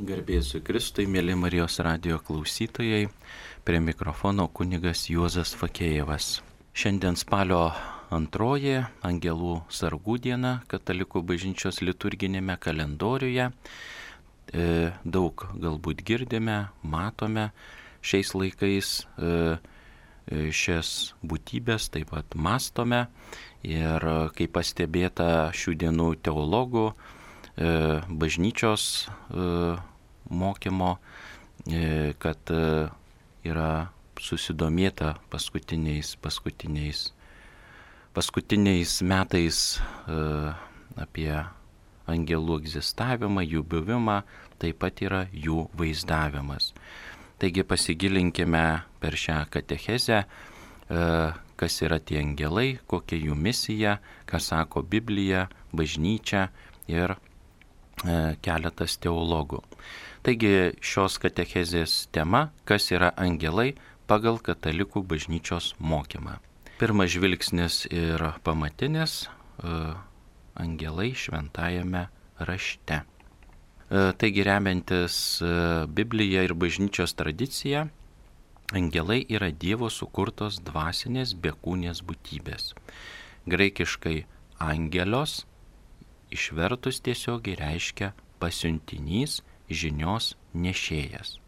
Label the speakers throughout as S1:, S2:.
S1: Garbėsiu Kristui, mėly Marijos radijo klausytojai, prie mikrofono kunigas Juozas Fakėjevas. Šiandien spalio 2 Angelų sargų diena Katalikų bažnyčios liturginėme kalendoriuje. Daug galbūt girdime, matome šiais laikais šias būtybės, taip pat mastome ir kaip pastebėta šių dienų teologų, bažnyčios mokymo, kad yra susidomėta paskutiniais metais apie angelų egzistavimą, jų buvimą, taip pat yra jų vaizdavimas. Taigi pasigilinkime per šią katechezę, kas yra tie angelai, kokia jų misija, ką sako Biblija, bažnyčia ir keletas teologų. Taigi šios katechezės tema, kas yra angelai pagal katalikų bažnyčios mokymą. Pirmas žvilgsnis ir pamatinis angelai šventajame rašte. Taigi remiantis Biblija ir bažnyčios tradicija, angelai yra Dievo sukurtos dvasinės bekūnės būtybės. Graikiškai angelios išvertus tiesiogiai reiškia pasiuntinys, žinios nešėjas.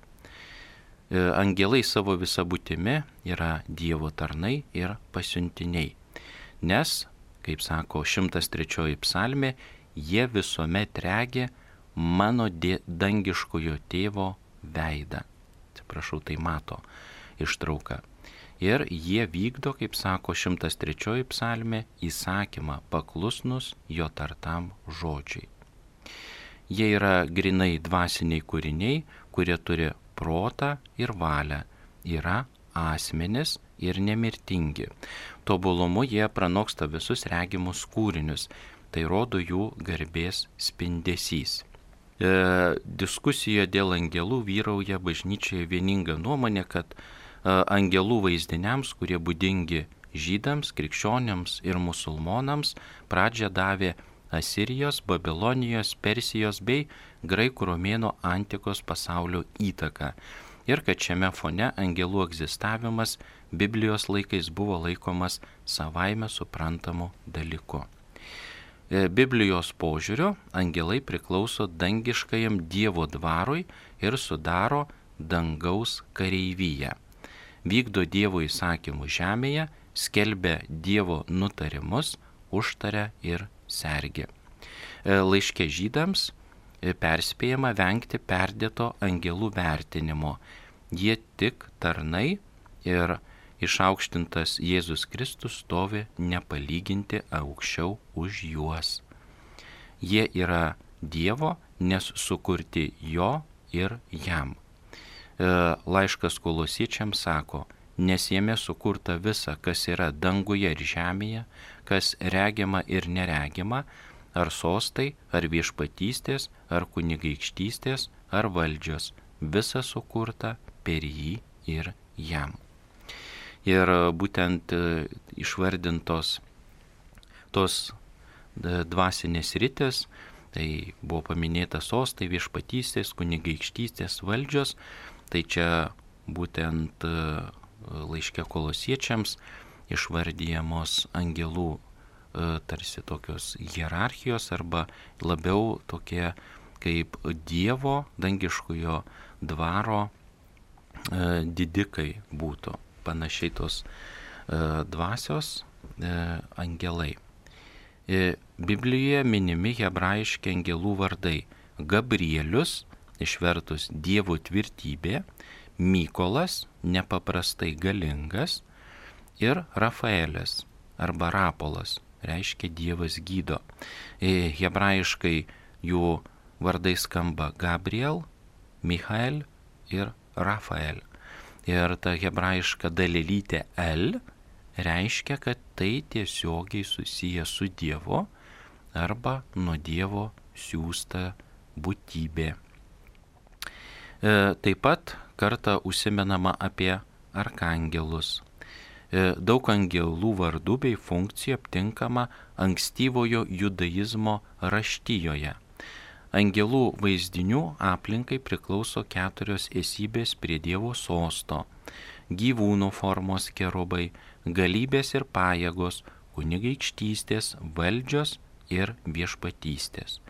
S1: Angelai savo visą būtimi yra Dievo tarnai ir pasiuntiniai, nes, kaip sako 103 psalmė, jie visuomet regi mano dangiškojo tėvo veidą. Atsiprašau, tai mato ištrauka. Ir jie vykdo, kaip sako 103 psalmė, įsakymą paklusnus jo tartam žodžiai. Jie yra grinai dvasiniai kūriniai, kurie turi protą ir valią, yra asmenis ir nemirtingi. Tobulumu jie pranoksta visus regimus kūrinius, tai rodo jų garbės spindesys. Diskusijoje dėl angelų vyrauja bažnyčioje vieninga nuomonė, kad angelų vaizdiniams, kurie būdingi žydams, krikščioniams ir musulmonams, pradžią davė Asirijos, Babilonijos, Persijos bei graikų romėnų antikos pasaulio įtaka. Ir kad šiame fone angelų egzistavimas Biblijos laikais buvo laikomas savaime suprantamu dalyku. Biblijos požiūriu angelai priklauso dangiškajam Dievo dvarui ir sudaro dangaus kareivyją. Vykdo Dievo įsakymų žemėje, skelbia Dievo nutarimus, užtaria ir sergi. Laiške žydams perspėjama vengti perdėto angelų vertinimo. Jie tik tarnai ir išaukštintas Jėzus Kristus stovi nepalyginti aukščiau už juos. Jie yra Dievo, nes sukurti jo ir jam. Laiškas Kolosiečiams sako, nes jame sukurta visa, kas yra danguje ir žemėje, kas regima ir neregima, ar sostai, ar viešpatystės, ar kunigaikštystės, ar valdžios, visa sukurta per jį ir jam. Ir būtent išvardintos tos dvasinės sritys, tai buvo paminėta sostai, viešpatystės, kunigaikštystės, valdžios. Tai čia būtent laiške Kolosiečiams išvardyjamos angelų tarsi tokios hierarchijos arba labiau tokie kaip Dievo dangiškojo dvaro didikai būtų. Panašiai tos dvasios angelai. Biblijoje minimi hebrajiški angelų vardai Gabrielius, išvertus Dievo tvirtybė, Mykolas, nepaprastai galingas, ir Rafaelis arba Rapolas, reiškia Dievas gydo. Hebrajiškai jų vardai skamba Gabriel, Michael ir Rafael. Ir ta hebrajiška dalelytė El reiškia, kad tai tiesiogiai susiję su Dievu arba nuo Dievo siųsta būtybė. Taip pat kartą užsimenama apie arkangelus. Daug angelų vardų bei funkcijų aptinkama ankstyvojo judaizmo raštijoje. Angelų vaizdinių aplinkai priklauso 4 esybės prie Dievo sosto, gyvūnų formos kerubai, galybės ir pajėgos, kunigaikštystės, valdžios ir viešpatystės.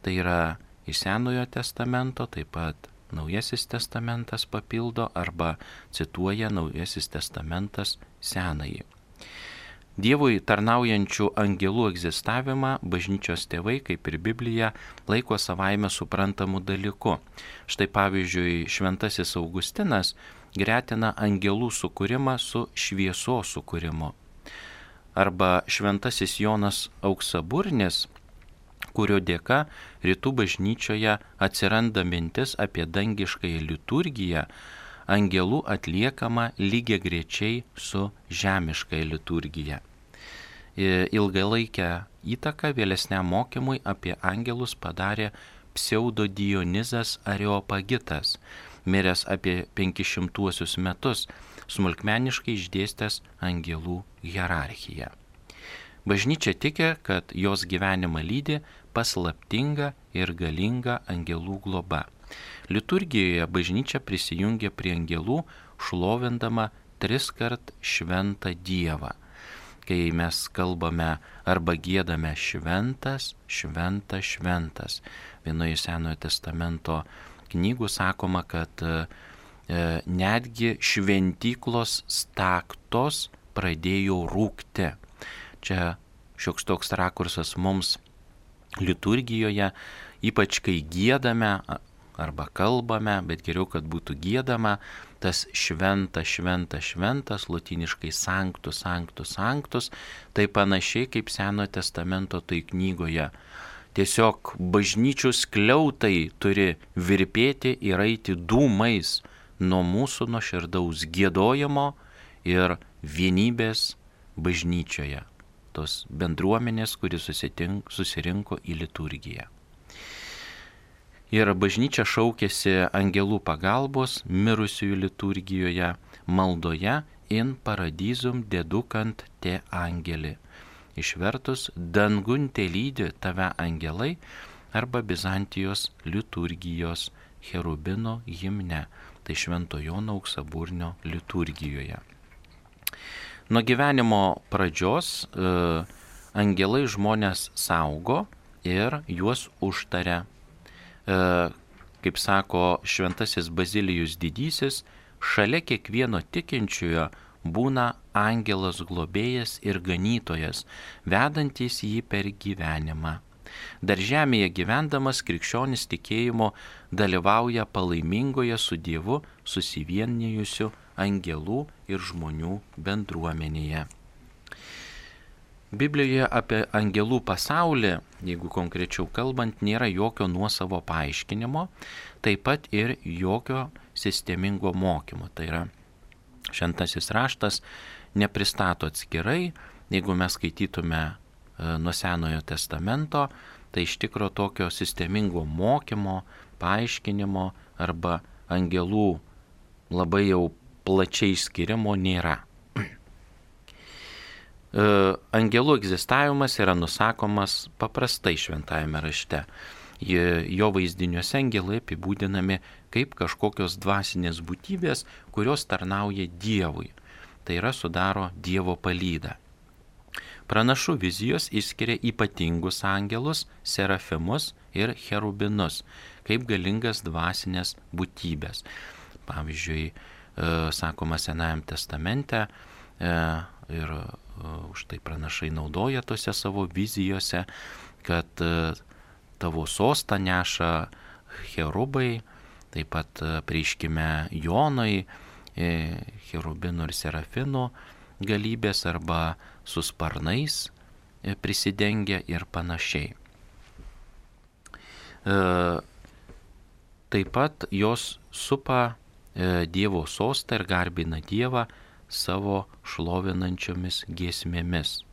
S1: Tai yra iš Senojo testamento, taip pat Naujasis testamentas papildo arba cituoja Naujasis testamentas Senąjį. Dievui tarnaujančių angelų egzistavimą bažnyčios tėvai, kaip ir Biblija, laiko savaime suprantamų dalyku. Štai pavyzdžiui, Šventasis Augustinas gretina angelų sukūrimą su šviesos sukūrimu. Arba Šventasis Jonas Auksaburnis, kurio dėka rytų bažnyčioje atsiranda mintis apie dangiškąją liturgiją, angelų atliekama lygiagrečiai su žemiškąja liturgija. Ilgalaikę įtaką vėlesniam mokymui apie angelus padarė pseudo Dionizas Areopagitas, miręs apie 500 metus, smulkmeniškai išdėstęs angelų hierarchiją. Bažnyčia tiki, kad jos gyvenimą lydi paslaptinga ir galinga angelų globa. Liturgijoje bažnyčia prisijungia prie angelų, šlovindama 3 kart šventą Dievą. Kai mes kalbame arba giedame šventas, šventas, šventas. Vienoje Senojo testamento knygų sakoma, kad netgi šventyklos staktos pradėjo rūkti. Čia šioks toks rakursas mums liturgijoje, ypač kai giedame arba kalbame, bet geriau, kad būtų giedama, tas šventas, šventas, šventas, lotyniškai sanctus, sanctus, sanctus, tai panašiai kaip Senojo testamento tai knygoje. Tiesiog bažnyčių skliautai turi virpėti ir eiti dūmais nuo mūsų nuoširdaus giedojimo ir vienybės bažnyčioje, tos bendruomenės, kuri susirinko į liturgiją. Ir bažnyčia šaukėsi angelų pagalbos mirusiųjų liturgijoje, maldoje in paradizum dedukant te angeli. Išvertus, dangun te lydi tave angelai, arba Bizantijos liturgijos cherubino himne, tai Švento Jono Auksaburnio liturgijoje. Nuo gyvenimo pradžios angelai žmonės saugo ir juos užtaria. Kaip sako Šventasis Bazilijus Didysis, šalia kiekvieno tikinčiojo būna angelas globėjas ir ganytojas, vedantis jį per gyvenimą. Dar žemėje gyvendamas krikščionis tikėjimo dalyvauja palaimingoje su Dievu susivienijusių angelų ir žmonių bendruomenėje. Biblijoje apie angelų pasaulį, jeigu konkrečiau kalbant, nėra jokio nuosavo paaiškinimo, taip pat ir jokio sistemingo mokymo. Tai yra, Šventasis raštas nepristato atskirai, jeigu mes skaitytume nuo Senojo testamento, tai iš tikro tokio sistemingo mokymo, paaiškinimo arba angelų labai jau plačiai skirimo nėra. Angelų egzistavimas yra nusakomas paprastai šventajame rašte. Jo vaizdiniuose angelai apibūdinami kaip kažkokios dvasinės būtybės, kurios tarnauja Dievui. Tai yra sudaro Dievo palydą. Pranašų vizijos išskiria ypatingus angelus, serafimus ir cherubinus, kaip galingas dvasinės būtybės. Pavyzdžiui, sakoma Senajam testamente ir už tai pranašai naudoja tose savo vizijose, kad tavo sostą neša cherubai, taip pat prieškime Jonui, cherubinų ir serafinų galybės arba su sparnais prisidengia ir panašiai. Taip pat jos supa Dievo sostą ir garbina Dievą savo šlovinančiomis giesmėmis.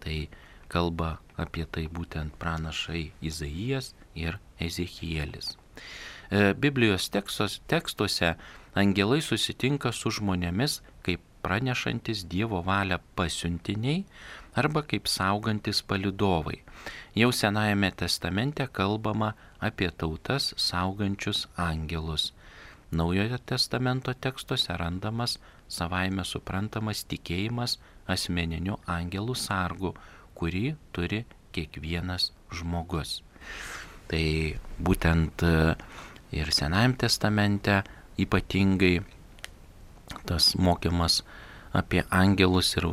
S1: Tai kalba apie tai būtent pranašai Izaijas ir Ezechielis. Biblijos tekstuose angelai susitinka su žmonėmis kaip pranešantis Dievo valią pasiuntiniai arba kaip saugantis palydovai. Jau Senajame testamente kalbama apie tautas saugančius angelus. Naujojo testamento tekstuose randamas savaime suprantamas tikėjimas asmeniniu angelų sargu, kurį turi kiekvienas žmogus. Tai būtent ir Senajame testamente ypatingai tas mokymas apie angelus ir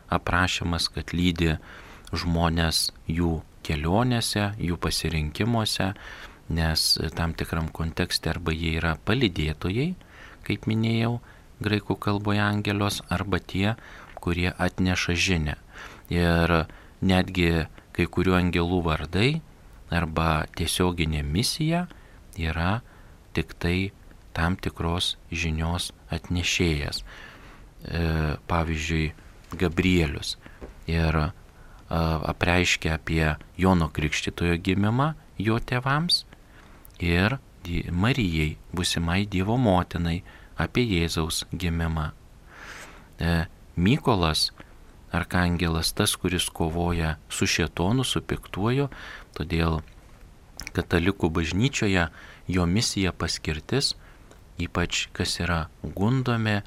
S1: aprašymas, kad lydi žmonės jų kelionėse, jų pasirinkimuose, nes tam tikram kontekste arba jie yra palydėtojai, kaip minėjau, graikų kalboje angelios, arba tie, kurie atneša žinią. Ir netgi kai kurių angelų vardai arba tiesioginė misija yra tik tai tam tikros žinios atnešėjas. Pavyzdžiui, Gabrielius ir apreiškia apie Jono Krikštytojo gimimą jo tėvams ir Marijai, būsimai Dievo motinai, apie Jėzaus gimimą. Mykolas, arkangelas, tas, kuris kovoja su šėtonu, su piktuoju, todėl katalikų bažnyčioje jo misija, paskirtis, ypač kas yra gundomi,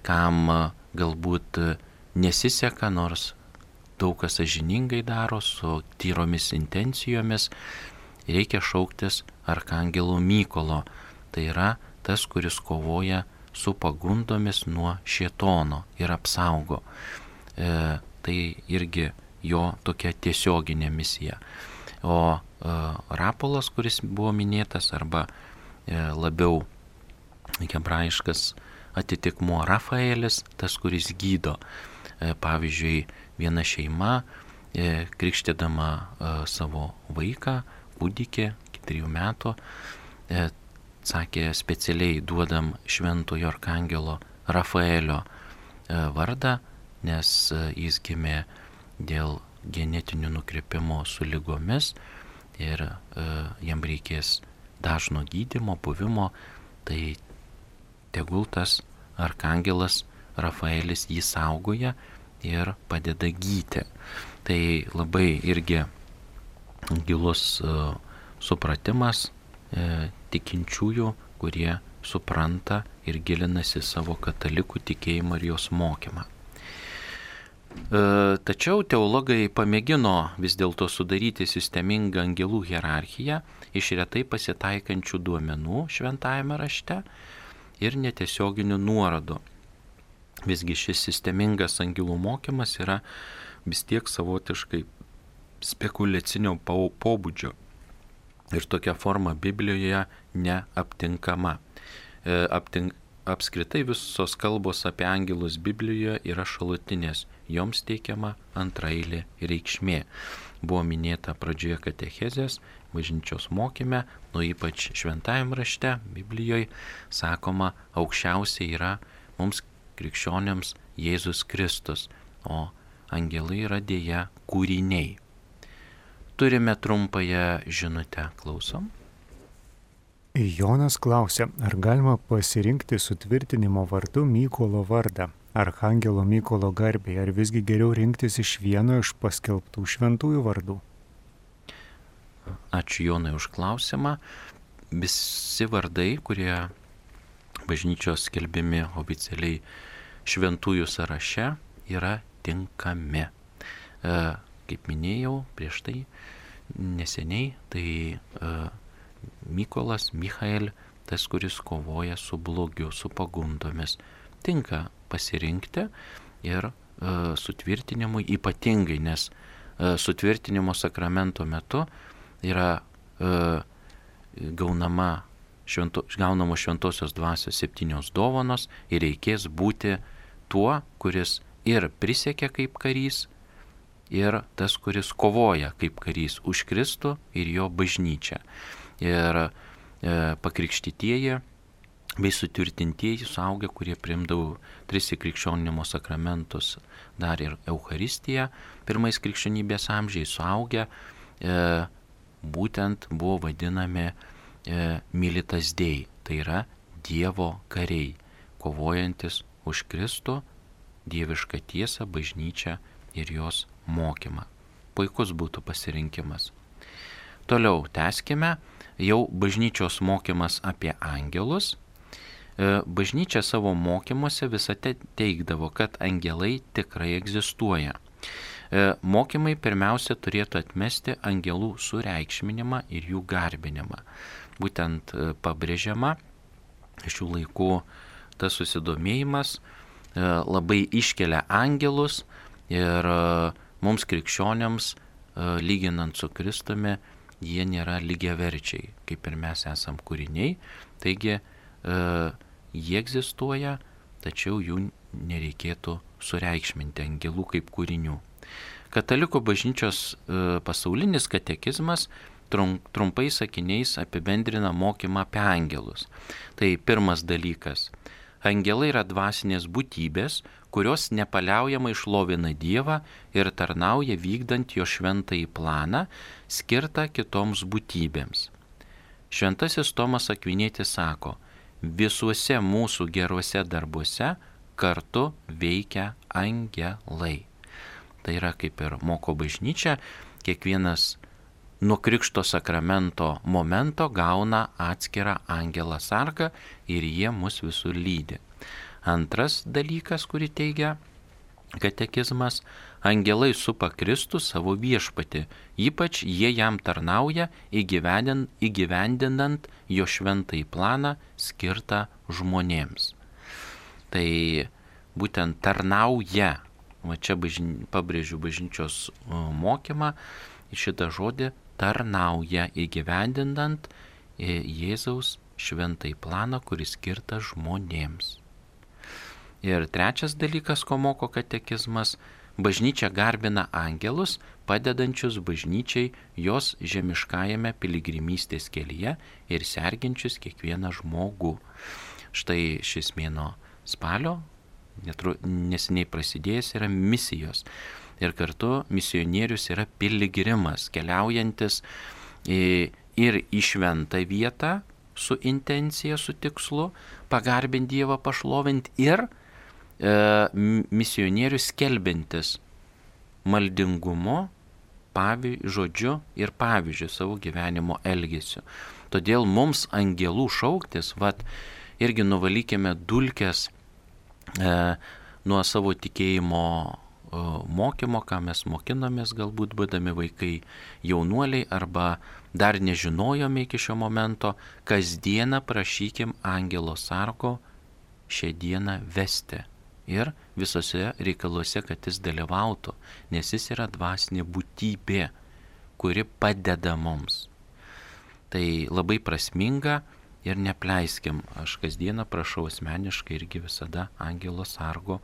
S1: kam galbūt nesiseka, nors daug kas sąžiningai daro, su tyromis intencijomis, reikia šauktis arkangelo Mykolo. Tai yra tas, kuris kovoja su pagundomis nuo šėtono ir apsaugo. Tai irgi jo tokia tiesioginė misija. O Rapolas, kuris buvo minėtas, arba labiau hebrajiškas atitikmuo Rafaelis, tas, kuris gydo. Pavyzdžiui, viena šeima krikštydama savo vaiką, kūdikį, iki 3 metų, sakė, specialiai duodam šventojo arkangelo Rafaelio vardą, nes jis gimė dėl genetinių nukrypimų su ligomis ir jam reikės dažno gydymo, buvimo, tai tegul tas arkangelas Rafaelis jį saugoja ir padeda gyti. Tai labai irgi gilus supratimas tikinčiųjų, kurie supranta ir gilinasi savo katalikų tikėjimą ir jos mokymą. Tačiau teologai pamėgino vis dėlto sudaryti sistemingą angelų hierarchiją iš retai pasitaikančių duomenų šventajame rašte ir netiesioginių nuorodų. Visgi šis sistemingas angelų mokymas yra vis tiek savotiškai spekuliacinio pobūdžio ir tokia forma Biblijoje neaptinkama. Apskritai visos kalbos apie angelus Biblijoje yra šalutinės, joms teikiama antraeilė reikšmė. Buvo minėta pradžioje katechezės, bažnyčios mokyme, ypač šventajame rašte, Biblijoje, sakoma, aukščiausiai yra mums krikščioniams Jėzus Kristus, o angelai yra dėja kūriniai. Turime trumpąją žinutę, klausom.
S2: Jonas klausia, ar galima pasirinkti sutvirtinimo vardu Mykolo vardą, Archangelo Mykolo garbei, ar visgi geriau rinktis iš vieno iš paskelbtų šventųjų vardų?
S1: Ačiū Jonai už klausimą. Visi vardai, kurie bažnyčios skelbimi oficialiai šventųjų sąraše, yra tinkami. Kaip minėjau prieš tai neseniai, tai Mykolas, Michael, tas, kuris kovoja su blogiu, su pagundomis, tinka pasirinkti ir sutvirtinimui ypatingai, nes sutvirtinimo sakramento metu yra gaunamos šventosios dvasios 7 dovanos ir reikės būti tuo, kuris ir prisiekia kaip karys, ir tas, kuris kovoja kaip karys už Kristų ir jo bažnyčią. Ir pakrikštytieji bei sutvirtintieji suaugę, kurie priimdavo 3 krikščionimo sakramentus, dar ir Eucharistiją, pirmais krikščionybės amžiais suaugę, būtent buvo vadinami militas dei, tai yra Dievo kariai, kovojantis už Kristų, dievišką tiesą, bažnyčią ir jos mokymą. Puikus būtų pasirinkimas. Toliau tęskime jau bažnyčios mokymas apie angelus. Bažnyčia savo mokymuose visada teigdavo, kad angelai tikrai egzistuoja. Mokymai pirmiausia turėtų atmesti angelų sureikšminimą ir jų garbinimą. Būtent pabrėžiama šių laikų tas susidomėjimas labai iškelia angelus ir mums krikščioniams, lyginant su Kristumi, jie nėra lygiaverčiai, kaip ir mes esam kūriniai, taigi jie egzistuoja, tačiau jų nereikėtų sureikšminti angelų kaip kūrinių. Katalikų bažnyčios pasaulinis katekizmas trumpai sakiniais apibendrina mokymą apie angelus. Tai pirmas dalykas. Angelai yra dvasinės būtybės, kurios nepaliaujamai šlovina Dievą ir tarnauja vykdant jo šventąjį planą, skirtą kitoms būtybėms. Šventasis Tomas Akvinietis sako, visuose mūsų geruose darbuose kartu veikia angelai. Tai yra kaip ir moko bažnyčia, kiekvienas nuo Krikšto sakramento momento gauna atskirą angelą sargą ir jie mus visur lydi. Antras dalykas, kurį teigia katekizmas, angelai supa Kristų savo viešpatį, ypač jie jam tarnauja įgyvendinant jo šventąjį planą skirtą žmonėms. Tai būtent tarnauja, va čia pabrėžiu bažnyčios mokymą, šitą žodį tarnauja įgyvendinant Jėzaus šventąjį planą, kuris skirtas žmonėms. Ir trečias dalykas, ko moko katekizmas, bažnyčia garbina angelus, padedančius bažnyčiai jos žemiškajame piligrimystės kelyje ir serginčius kiekvieną žmogų. Štai šis mėnuo spalio, neseniai prasidėjęs, yra misijos. Ir kartu misionierius yra piligrimas, keliaujantis ir į šventą vietą su intencija, su tikslu, pagarbinti Dievą, pašlovinti, ir misionierius skelbiantis maldingumu, žodžiu ir pavyzdžiu savo gyvenimo elgesiu. Todėl mums angelų šauktis, irgi nuvalykime dulkes nuo savo tikėjimo mokymo, ką mes mokinomės, galbūt būdami vaikai, jaunuoliai, arba dar nežinojome iki šio momento, kasdieną prašykim angelo sargo šią dieną vesti ir visose reikaluose, kad jis dalyvautų, nes jis yra dvasinė būtybė, kuri padeda mums. Tai labai prasminga ir nepleiskim. Aš kasdieną prašau asmeniškai irgi visada angelo sargo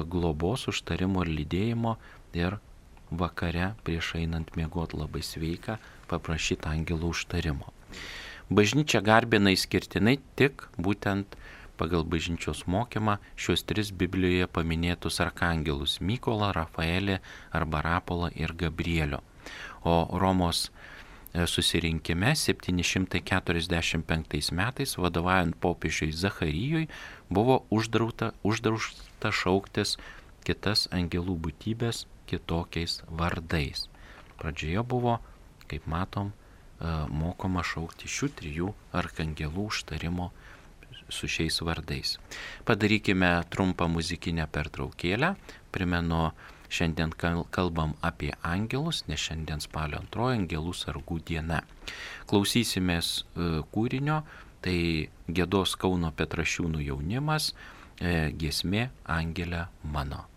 S1: globos, užtarimo ir lydėjimo, ir vakare prieš einant miegot labai sveika paprašyti angelo užtarimo. Bažnyčia garbina išskirtinai tik būtent pagal bažnyčios mokymą šios tris Biblijoje paminėtus arkangelus – Mykolą, Rafaelį arba Rapolą ir Gabrielio. O Romos susirinkime 745 metais, vadovaujant popiežiui Zacharijui, buvo uždrausta šauktis kitas angelų būtybės kitokiais vardais. Pradžioje buvo, kaip matom, mokoma šaukti šių trijų arkangelų užtarimo su šiais vardais. Padarykime trumpą muzikinę pertraukėlę. Primenu, šiandien kalbam apie angelus, nes šiandien spalio 2 angelų sargų diena. Klausysimės kūrinio, tai giedos Kauno Petrašiūnų jaunimas, giesmė Angele mano.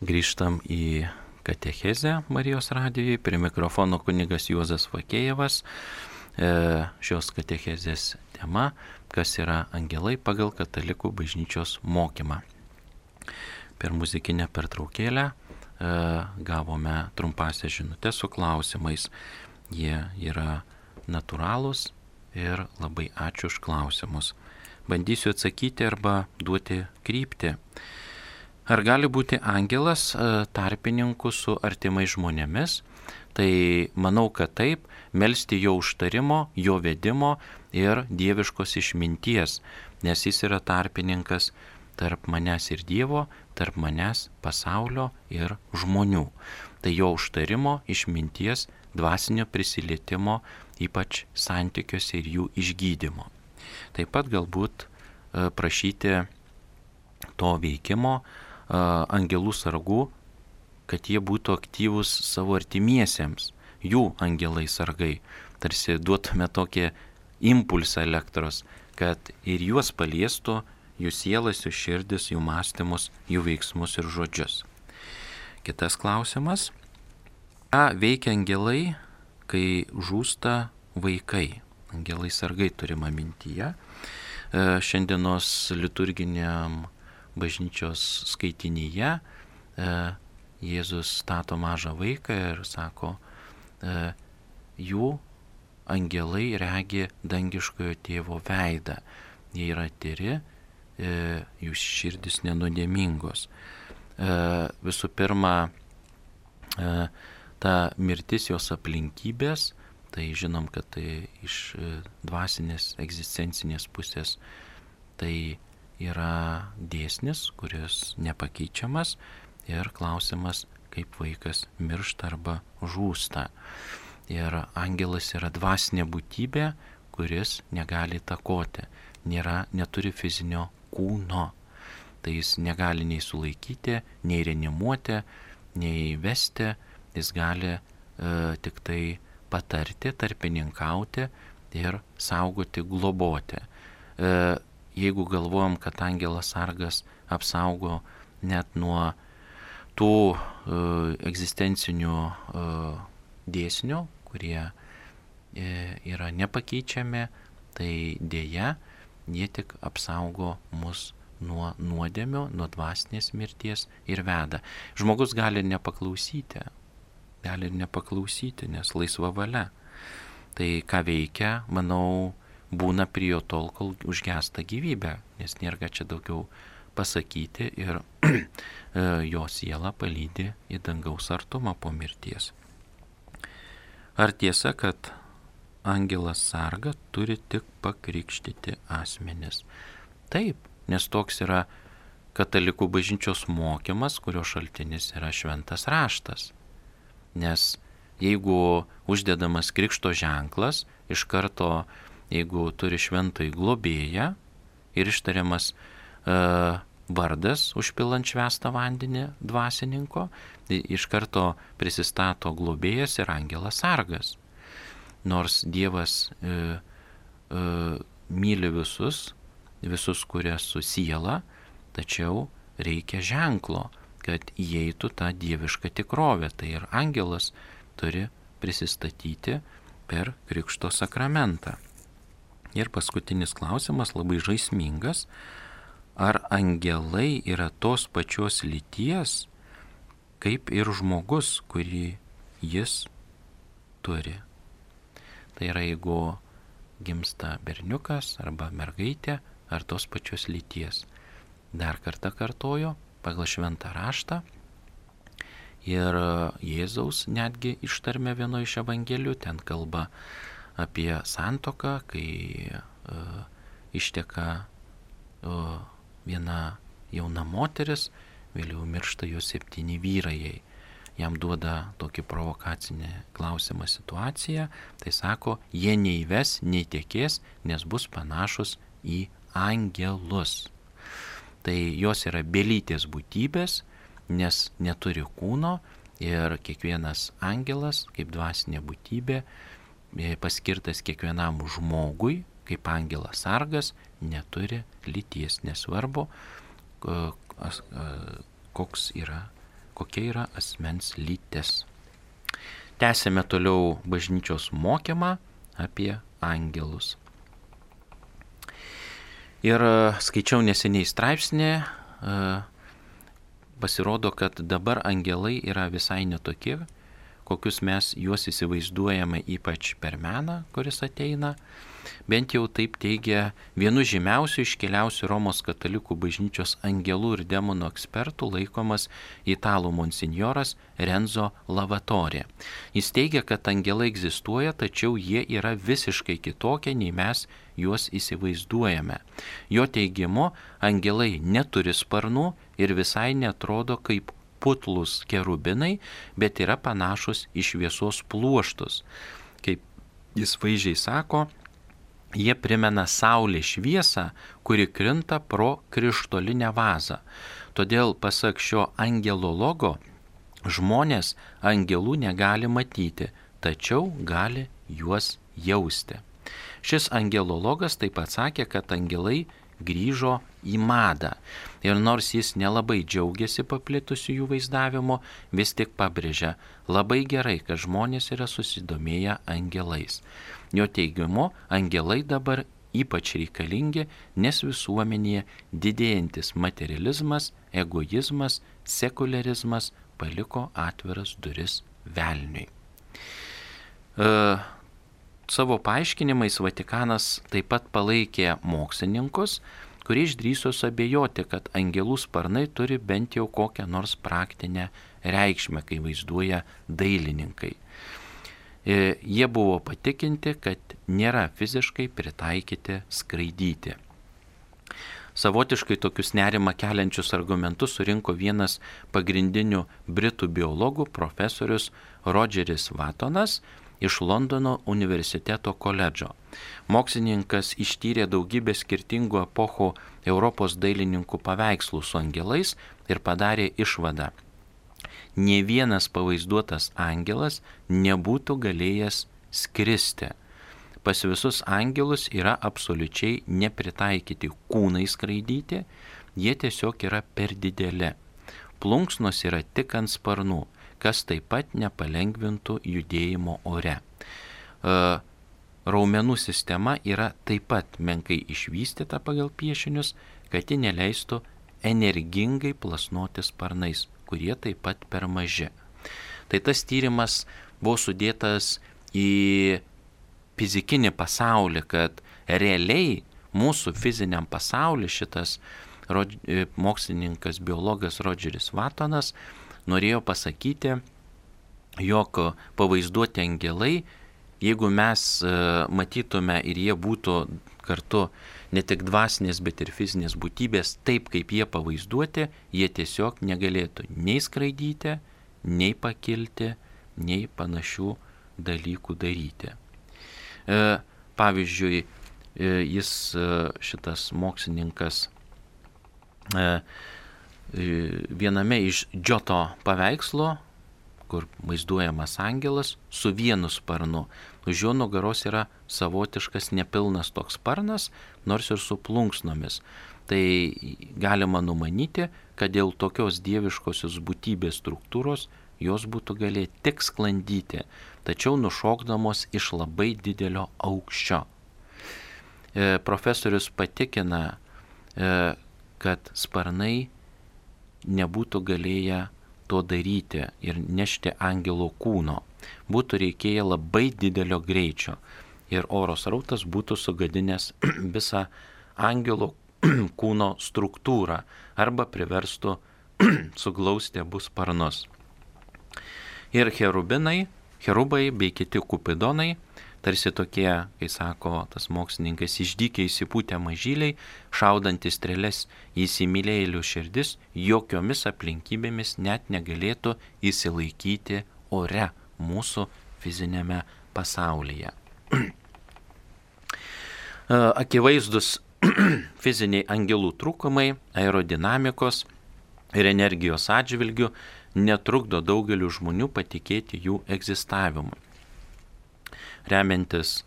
S1: Grįžtam į katechezę Marijos radijoje. Prie mikrofono kunigas Juozas Vakėjevas. Šios katechezės tema, kas yra angelai pagal katalikų bažnyčios mokymą. Per muzikinę pertraukėlę gavome trumpąsias žinutės su klausimais. Jie yra natūralūs ir labai ačiū už klausimus. Bandysiu atsakyti arba duoti kryptį. Ar gali būti angelas tarpininku su artimais žmonėmis? Tai manau, kad taip, melsti jo užtarimo, jo vedimo ir dieviškos išminties, nes jis yra tarpininkas tarp manęs ir Dievo, tarp manęs, pasaulio ir žmonių. Tai jo užtarimo, išminties, dvasinio prisilietimo, ypač santykiuose ir jų išgydymo. Taip pat galbūt prašyti to veikimo angelų sargų, kad jie būtų aktyvūs savo artimiesiems, jų angelai sargai. Tarsi duotume tokį impulsą elektros, kad ir juos paliestų, jų sielas, jų širdis, jų mąstymus, jų veiksmus ir žodžius. Kitas klausimas. Ką veikia angelai, kai žūsta vaikai? Angelai sargai turima mintyje. Šiandienos liturginiam bažnyčios skaitinyje Jėzus stato mažą vaiką ir sako, jų angelai regi dangiškojo tėvo veidą. Jie yra tyri, jų širdis nenuodėmingos. Visų pirma, ta mirtis, jos aplinkybės, tai žinom, kad tai iš dvasinės, egzistencinės pusės tai yra dėsnis, kuris nepakeičiamas ir klausimas, kaip vaikas miršta arba žūsta. Ir angelas yra dvasinė būtybė, kuris negali įtakoti, neturi fizinio kūno. Tai jis negali nei sulaikyti, nei reanimuoti, nei vesti, jis gali tik tai patarti, tarpininkauti ir saugoti, globoti. Jeigu galvojam, kad angelas sargas apsaugo net nuo tų egzistencinių dėsnių, kurie yra nepakeičiami, tai dėja, jie tik apsaugo mus nuo nuodėmių, nuo dvasinės mirties ir veda. Žmogus gali nepaklausyti, nes laisva valia. Tai ką veikia, manau, būna prie jo tol, kol užgesta gyvybė, nes nėra čia daugiau pasakyti ir jo siela palydi į dangaus artumą po mirties. Ar tiesa, kad angelas sarga turi tik pakrikštyti asmenis? Taip, nes toks yra katalikų bažnyčios mokymas, kurio šaltinis yra šventas raštas. Nes jeigu uždedamas krikšto ženklas, iš karto, jeigu turi šventąjį globėją ir ištariamas vardas užpilant švęstą vandenį dvasininko, tai iš karto prisistato globėjas ir angelas sargas. Nors Dievas myli visus, kurie su siela, tačiau reikia ženklo, kad įeitų tą dievišką tikrovę. Tai ir angelas turi prisistatyti per krikšto sakramentą. Ir paskutinis klausimas, labai žaismingas. Ar angelai yra tos pačios lyties, kaip ir žmogus, kurį jis turi? Tai yra, jeigu gimsta berniukas arba mergaitė, ar tos pačios lyties. Dar kartą kartoju, pagal šventą raštą ir Jėzaus netgi ištarmė vieno iš evangelijų, ten kalba apie santuoką, kai išteka viena jauna moteris, vėliau miršta jo 7 vyrai. Jam duoda tokį provokacinį klausimą situaciją, tai sako, jie neįves, neįtekės, nes bus panašus į angelus. Tai jos yra belytės būtybės, nes neturi kūno ir kiekvienas angelas, kaip dvasinė būtybė, paskirtas kiekvienam žmogui, kaip angelas sargas, neturi lyties, nesvarbu, kokia yra asmens lytis. Tęsėme toliau bažnyčios mokymą apie angelus. Ir skaičiau neseniai straipsnį, pasirodo, kad dabar angelai yra visai netokie, kokius mes juos įsivaizduojame ypač per meną, kuris ateina. Bent jau taip teigia vienu žymiausių iškiliausių Romos katalikų bažnyčios angelų ir demonų ekspertų laikomas italų monsinjoras Renzo Lavatorė. Jis teigia, kad angelai egzistuoja, tačiau jie yra visiškai kitokie, nei mes juos įsivaizduojame. Jo teigimu, angelai neturi sparnų ir visai netrodo kaip putlus kerubinai, bet yra panašus į šviesos pluoštus. Kaip jis vaizdžiai sako, jie primena saulės šviesą, kuri krinta pro krištolinę vazą. Todėl, pasak šio angelologo, žmonės angelų negali matyti, tačiau gali juos jausti. Šis angelologas taip pat sakė, kad angelai grįžo į madą. Ir nors jis nelabai džiaugiasi paplitusiu jų vaizdavimu, vis tik pabrėžia, labai gerai, kad žmonės yra susidomėję angelais. Jo teigimu, angelai dabar ypač reikalingi, nes visuomenėje didėjantis materializmas, egoizmas, sekularizmas paliko atviras duris velniui. Savo paaiškinimais Vatikanas taip pat palaikė mokslininkus, kurie išdrįso abejoti, kad angelų sparnai turi bent jau kokią nors praktinę reikšmę, kai vaizduoja dailininkai. Jie buvo patikinti, kad nėra fiziškai pritaikyti skraidyti. Savotiškai tokius nerimą keliančius argumentus surinko vienas pagrindinių britų biologų profesorius Rodžeris Vatonas iš Londono universiteto koledžo. Mokslininkas ištyrė daugybę skirtingų epochų Europos dailininkų paveikslų su angelais ir padarė išvadą. Nė vienas pavaizduotas angelas nebūtų galėjęs skristi. Pas visus angelus yra absoliučiai nepritaikyti kūnai skraidyti, jie tiesiog yra per dideli. Plunksnos yra tik ant sparnų, kas taip pat nepalengvintų judėjimo ore. Raumenų sistema yra taip pat menkai išvystyta pagal piešinius, kad ji neleistų energingai plasnoti sparnais, kurie taip pat per maži. Tai tas tyrimas buvo sudėtas į fizikinį pasaulį, kad realiai mūsų fiziniam pasauliu šitas mokslininkas, biologas Rodžeris Vatonas norėjo pasakyti, jog pavaizduoti angelai, jeigu mes matytume ir jie būtų kartu ne tik dvasinės, bet ir fizinės būtybės, taip kaip jie pavaizduoti, jie tiesiog negalėtų nei skraidyti, nei pakilti, nei panašių dalykų daryti. Pavyzdžiui, šitas mokslininkas viename iš Džoto paveikslo, kur vaizduojamas angelas su vienu sparnu. Už jo nugaros yra savotiškas nepilnas toks sparnas, nors ir su plunksnomis. Tai galima numanyti, kad dėl tokios dieviškosios būtybės struktūros jos būtų galėję tik sklandyti, tačiau nušokdamos iš labai didelio aukščio. Profesorius patikina, kad sparnai nebūtų galėję to daryti ir nešti angelo kūno. Būtų reikėję labai didelio greičio ir oro srautas būtų sugadinęs visą angelo kūno struktūrą arba priverstų suglausti abu sparnus. Ir cherubai bei kiti kupidonai, tarsi tokie, kai sako tas mokslininkas, išdykiai įsipūtę mažyliai, šaudantis strėles į įsimylėjėlių širdis, jokiomis aplinkybėmis net negalėtų įsilaikyti ore mūsų fizinėme pasaulyje. Akivaizdus fiziniai angelų trūkumai, aerodinamikos ir energijos atžvilgių netrukdo daugeliu žmonių patikėti jų egzistavimu. Remiantis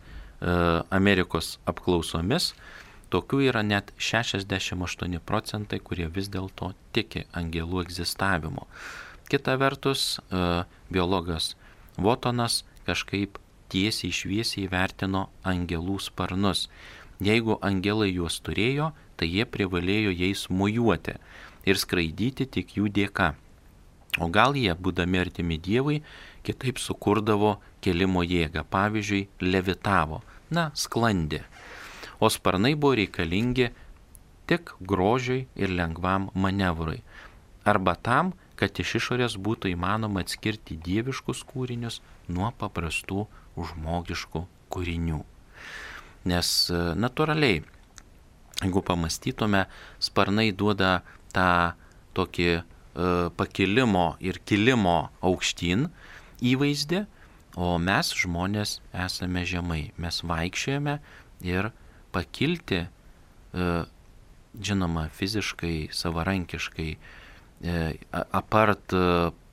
S1: Amerikos apklausomis, tokių yra net 68%, kurie vis dėlto tiki angelų egzistavimu. Kita vertus, biologas Wotonas kažkaip tiesiai šviesiai vertino angelų sparnus. Jeigu angelai juos turėjo, tai jie privalėjo jais mojuoti ir skraidyti tik jų dėka. O gal jie, būdami artimi Dievui, kitaip sukurdavo kėlimo jėgą, pavyzdžiui, levitavo, sklandė. O sparnai buvo reikalingi tik grožiui ir lengvam manevrui, arba tam, kad iš išorės būtų įmanoma atskirti dieviškus kūrinius nuo paprastų žmogiškų kūrinių. Nes natūraliai, jeigu pamastytume, sparnai duoda tą tokį pakilimo ir kilimo aukštyn įvaizdį, o mes žmonės esame žemai. Mes vaikščiojame ir pakilti, žinoma, fiziškai, savarankiškai, apart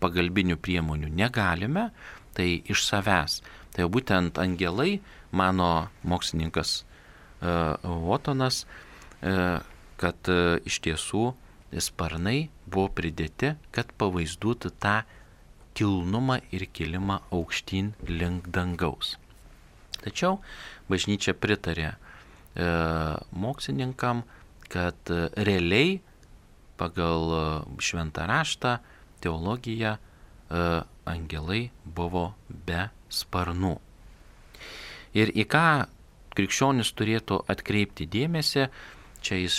S1: pagalbinių priemonių negalime, tai iš savęs. Tai būtent angelai, mano mokslininkas Wotonas, kad iš tiesų sparnai buvo pridėti, kad pavaizduotų tą kilnumą ir kilimą aukštyn link dangaus. Tačiau bažnyčia pritarė mokslininkam, kad realiai pagal šventą raštą, teologiją, angelai buvo be sparnų. Ir į ką krikščionis turėtų atkreipti dėmesį, čia iš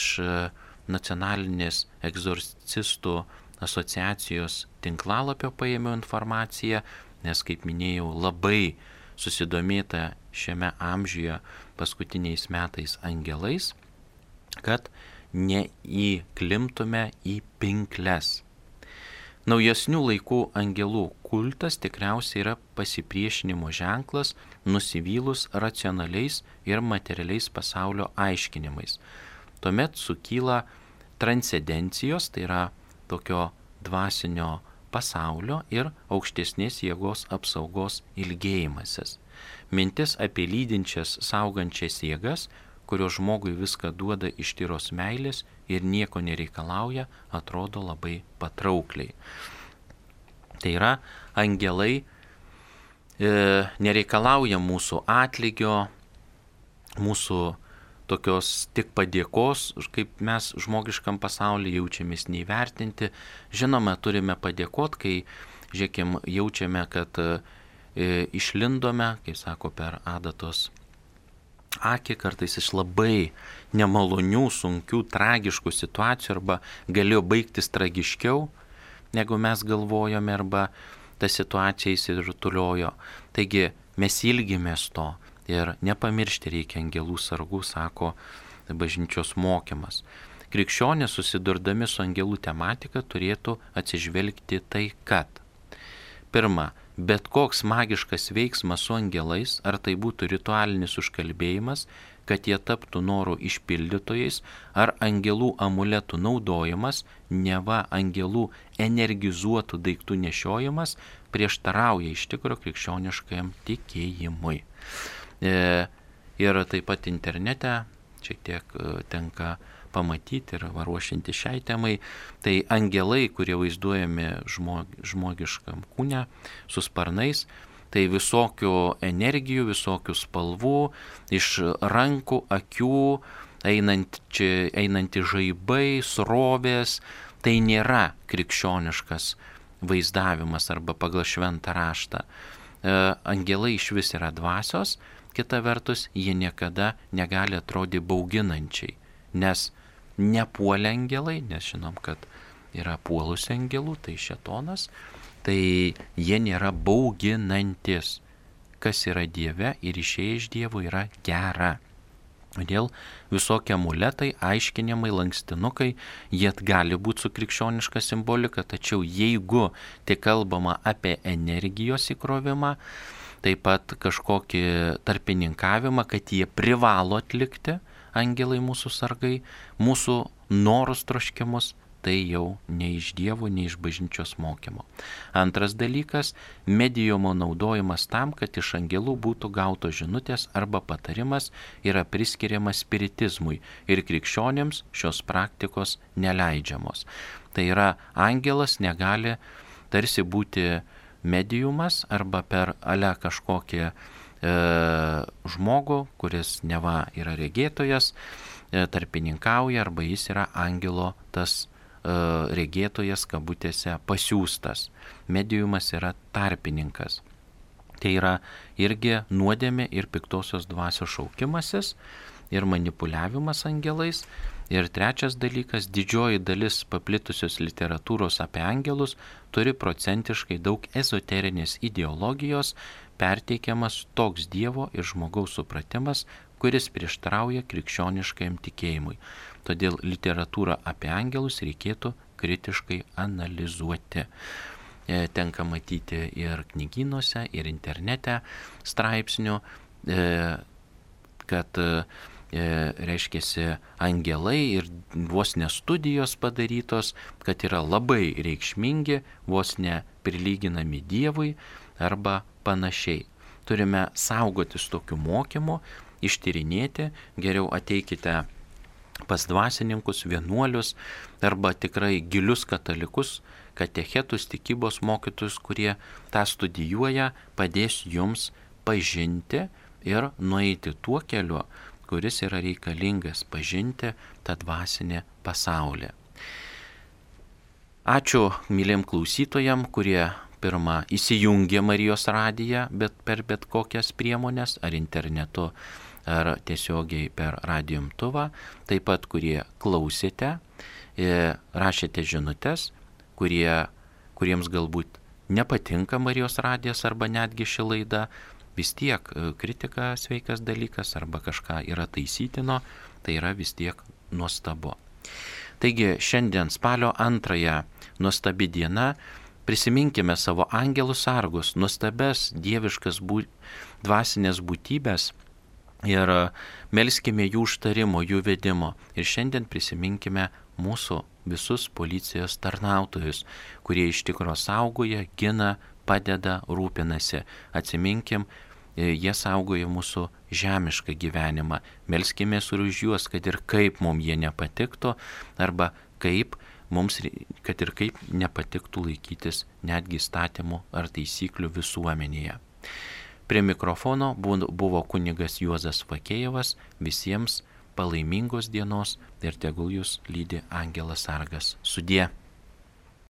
S1: Nacionalinės egzorcistų asociacijos tinklalapio paėmiau informaciją, nes, kaip minėjau, labai susidomėta šiame amžiuje paskutiniais metais angelais, kad neįklimtume į pinkles. Naujesnių laikų angelų kultas tikriausiai yra pasipriešinimo ženklas nusivylus racionaliais ir materialiais pasaulio aiškinimais. Tuomet sukyla transcendencijos, tai yra tokio dvasinio pasaulio ir aukštesnės jėgos apsaugos ilgėjimasis. Mintis apie lydinčias, saugančias jėgas, kurios žmogui viską duoda iš tyros meilės ir nieko nereikalauja, atrodo labai patraukliai. Tai yra, angelai nereikalauja mūsų atlygio, mūsų tokios tik padėkos, kaip mes žmogiškam pasaulyje jaučiamės neįvertinti. Žinoma, turime padėkoti, kai, žiūrėkim, jaučiame, kad išlindome, kaip sako, per adatos akį, kartais iš labai nemalonių, sunkių, tragiškų situacijų, arba galėjo baigtis tragiškiau, negu mes galvojome, arba ta situacija įsirutuliojo. Taigi mes ilgimės to ir nepamiršti reikia angelų sargų, sako bažnyčios mokymas. Krikščionys, susidurdami su angelų tematika, turėtų atsižvelgti tai, kad pirma, bet koks magiškas veiksmas su angelais, ar tai būtų ritualinis užkalbėjimas, kad jie taptų norų išpildytojais, ar angelų amuletų naudojimas, neva angelų energizuotų daiktų nešiojimas, prieštarauja iš tikro krikščioniškajam tikėjimui. Ir taip pat internete šiek tiek tenka pamatyti ir ruošianti šiai temai, tai angelai, kurie vaizduojami žmogiškam kūne su sparnais, tai visokių energijų, visokių spalvų, iš rankų, akių, einanti žaibai, srovės, tai nėra krikščioniškas vaizdavimas arba pagal šventą raštą. Angelai iš vis yra dvasios, kita vertus, jie niekada negali atrodyti bauginančiai, nes nepuolė angelai, nes žinom, kad yra puolusių angelų, tai šėtonas, tai jie nėra bauginantis. Kas yra Dieve ir išėję iš Dievo yra gera. Todėl visokie amuletai, aiškinimai, lankstinukai, jie gali būti su krikščioniška simbolika, tačiau jeigu tik kalbama apie energijos įkrovimą, taip pat kažkokį tarpininkavimą, kad jie privalo atlikti, angelai mūsų sargai, mūsų norus troškimus, tai jau ne iš Dievo, ne iš bažnyčios mokymo. Antras dalykas, mediumo naudojimas tam, kad iš angelų būtų gautos žinutės arba patarimas, yra priskiriamas spiritizmui ir krikščionėms šios praktikos neleidžiamos. Tai yra, angelas negali tarsi būti mediumas arba per ale kažkokį žmogų, kuris neva yra regėtojas, tarpininkauja arba jis yra angelo tas regėtojas kabutėse pasiųstas. Mediumas yra tarpininkas. Tai yra irgi nuodėmė ir piktosios dvasios šaukimasis ir manipuliavimas angelais. Ir trečias dalykas, didžioji dalis paplitusios literatūros apie angelus turi procentiškai daug ezoterinės ideologijos, perteikiamas toks Dievo ir žmogaus supratimas, kuris prieštarauja krikščioniškajam tikėjimui. Todėl literatūrą apie angelus reikėtų kritiškai analizuoti. Tenka matyti ir knygynuose, ir internete straipsnių, kad reiškiasi angelai ir vos ne studijos padarytos, kad yra labai reikšmingi, vos ne prilyginami Dievui arba panašiai. Turime saugotis tokių mokymų, ištyrinėti, geriau ateikite pas dvasininkus, vienuolius arba tikrai gilius katalikus, katechetus, tikybos mokytus, kurie tą studijuoja, padės jums pažinti ir nueiti tuo keliu, kuris yra reikalingas pažinti tą dvasinį pasaulį. Ačiū myliem klausytojam, kurie pirmą įsijungė Marijos radiją, bet per bet kokias priemonės, ar internetu, ar tiesiogiai per radijo imtuvą, taip pat kurie klausėte, rašėte žinutes, kuriems galbūt nepatinka Marijos radijas arba netgi ši laida, vis tiek kritika sveikas dalykas arba kažką yra taisytino, tai yra vis tiek nuostabu. Taigi šiandien spalio 2 nuostabi diena, prisiminkime savo angelus sargus, nuostabes dieviškas dvasinės būtybės ir melskime jų užtarimo, jų vedimo. Ir šiandien prisiminkime mūsų visus policijos tarnautojus, kurie iš tikro saugoja, gina, padeda, rūpinasi. Atsiminkim, jie saugoja mūsų žemišką gyvenimą. Melskimės ir už juos, kad ir kaip mums jie nepatiktų, arba kad ir kaip nepatiktų laikytis netgi įstatymų ar taisyklių visuomenėje. Prie mikrofono buvo kunigas Juozas Vakėjevas. Visiems palaimingos dienos ir tegul jūs lydi angelas sargas. Sudie.